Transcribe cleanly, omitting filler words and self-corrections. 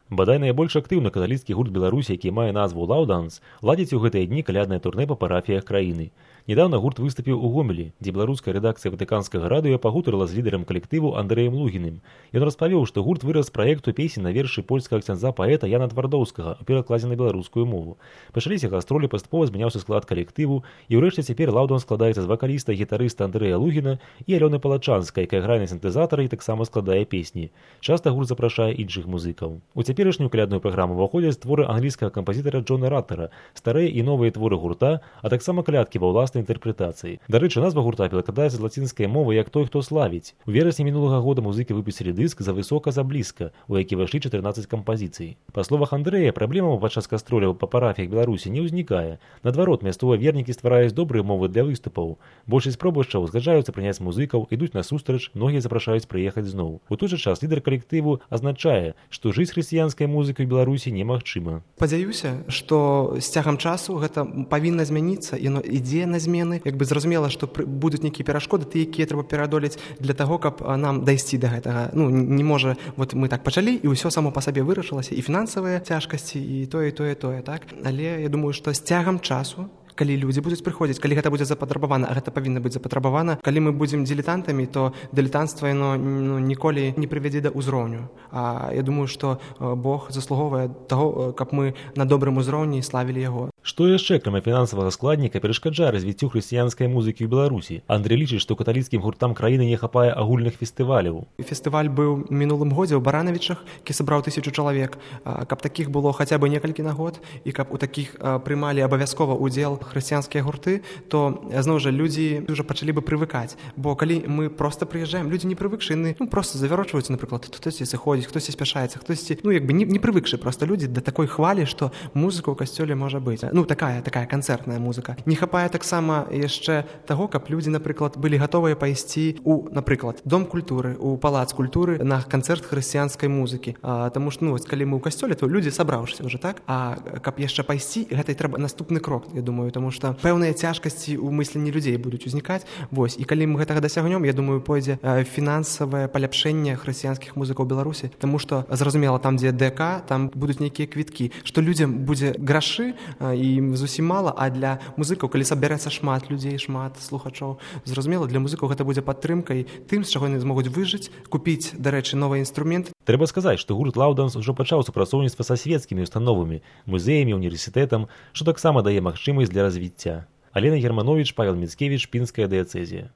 Бадай найбольш актыўны каталіцкі гурт Беларусі, які мае назву «Лаўданс», ладзіць у гэтыя дні каляднае турнэ па парафіях краіны. Недавно гурт выступіў у Гомелі, дзе беларуская рэдакцыя ватыканскага радыё пагутарыла з лідарам калектыву Андрэем Лугіным. Ён распавёў, што гурт вырас з праекту песень на вершы польскага ксяндза паэта Яна Твардоўскага, у перакладзе на беларускую мову. Пачаліся гастролі, паступова змяняўся склад калектыву, і ўрэшце цяпер «Лаўданс» складаецца з вакаліста і гітарыста Андрэя Лугіна і Алёны Палачанскай, якая грае на сінтэзатары і таксама складае песні. Часта гурт запрашае іншых музыкаў. У цяперашнюю калядную праграму ўваходзяць творы англійскага кампазітара Джона Раттера, старыя і новыя творы гурта, а таксама калядкі ва ўласнай інтэрпрэтацыі. Дарэчы, назва гурта перакладаецца з лацінскай мовы як «той, хто славіць». У верасні мінулага года музыкі выпусцілі дыск «За высока, за блізка», у які ўвайшлі 14 кампазіцый. Па словах Андрэя, праблемаў падчас гастроляў па парафіях Беларусі не ўзнікае. Наадварот, мясцовыя вернікі ствараюць добрыя мовы для выступаў. Большасць пробашчаў згаджаюцца прыняць музыкаў, ідуць насустрач, многія запрашаюць прыехаць зноў. У той жа час лідар калектыву азначае, што жыць хрысціянскай музыкай у Беларусі немагчыма. Спадзяюся, што з цягам часу гэта павінна змяніцца, яно ідзе на змены. Як бы зразумела, што будуць нейкія перашкоды, якія трэба пераадолець для таго, каб нам дайсці да гэтага. Не можа, вот мы так пачалі, і ўсё само па сабе вырашылася, і фінансавыя цяжкасці, і тое, так? Але я думаю, што з цягам часу, калі людзі будуць прыходзіць, калі гэта будзе запатрабавана, а гэта павінна быць запатрабавана, калі мы будзем дылетантамі, то дылетантства яно ніколі не прывядзе да ўзроўню. А я думаю, што Бог заслуговае таго, каб мы на добрым узроўні славілі яго. Што яшчэ, акрамя фінансавага складніка, перашкаджае развіццю хрысціянскай музыкі ў Беларусі? Андрэй лічыць, што каталіцкім гуртам краіны не хапае агульных фестываляў. Фестываль быў мінулым годзе ў Баранавічах, які сабраў 1000 чалавек. Каб такіх было хаця бы некалькі на год, і каб у такіх прымалі абавязкова ўдзел хрысціянскія гурты, то зноў жа людзі ўжо пачалі бы прывыкаць. Бо калі мы проста прыязджаем, людзі не прывыкшы, яны проста завярочваюцца, напрыклад, хтосьці сыходзіць, хтосьці спяшаецца, хтосьці, не прывыкшы проста людзі да такой хвалі, што музыка ў касцёле можа быць. Такая канцэртная музыка. Не хапае таксама яшчэ таго, каб людзі, напрыклад, былі гатовыя пайсці у, напрыклад, дом культуры, у палац культуры на канцэрт хрысціянскай музыкі. Таму што, калі мы ў касцёле, то людзі сабраўшыся ўжо, так? А каб яшчэ пайсці, гэта і трэба наступны крок, я думаю, таму што пэўныя цяжкасці ў мысленні людзей будуць узнікаць. І калі мы гэтага дасягнём, я думаю, пойдзе фінансавае паляпшэнне хрысціянскіх музыкаў Беларусі, таму што, зразумела, там, дзе ДК, там будуць нейкія квіткі, што людзям будзе грашы і зусім мала, а для музыкаў, калі сабярэцца шмат людзей, шмат слухачоў, зразумела, для музыкаў гэта будзе падтрымкай тым, з чаго яны змогуць выжыць, купіць, дарэчы, новы інструмент. Трэба сказаць, што гурт «Лаўданс» ужо пачаў супрацоўніцтва са свецкімі установамі, музеямі, універсітэтам, што таксама дае магчымасць для развіцця. Алена Германович, Павел Міцкевіч, Пінская дыяцэзія.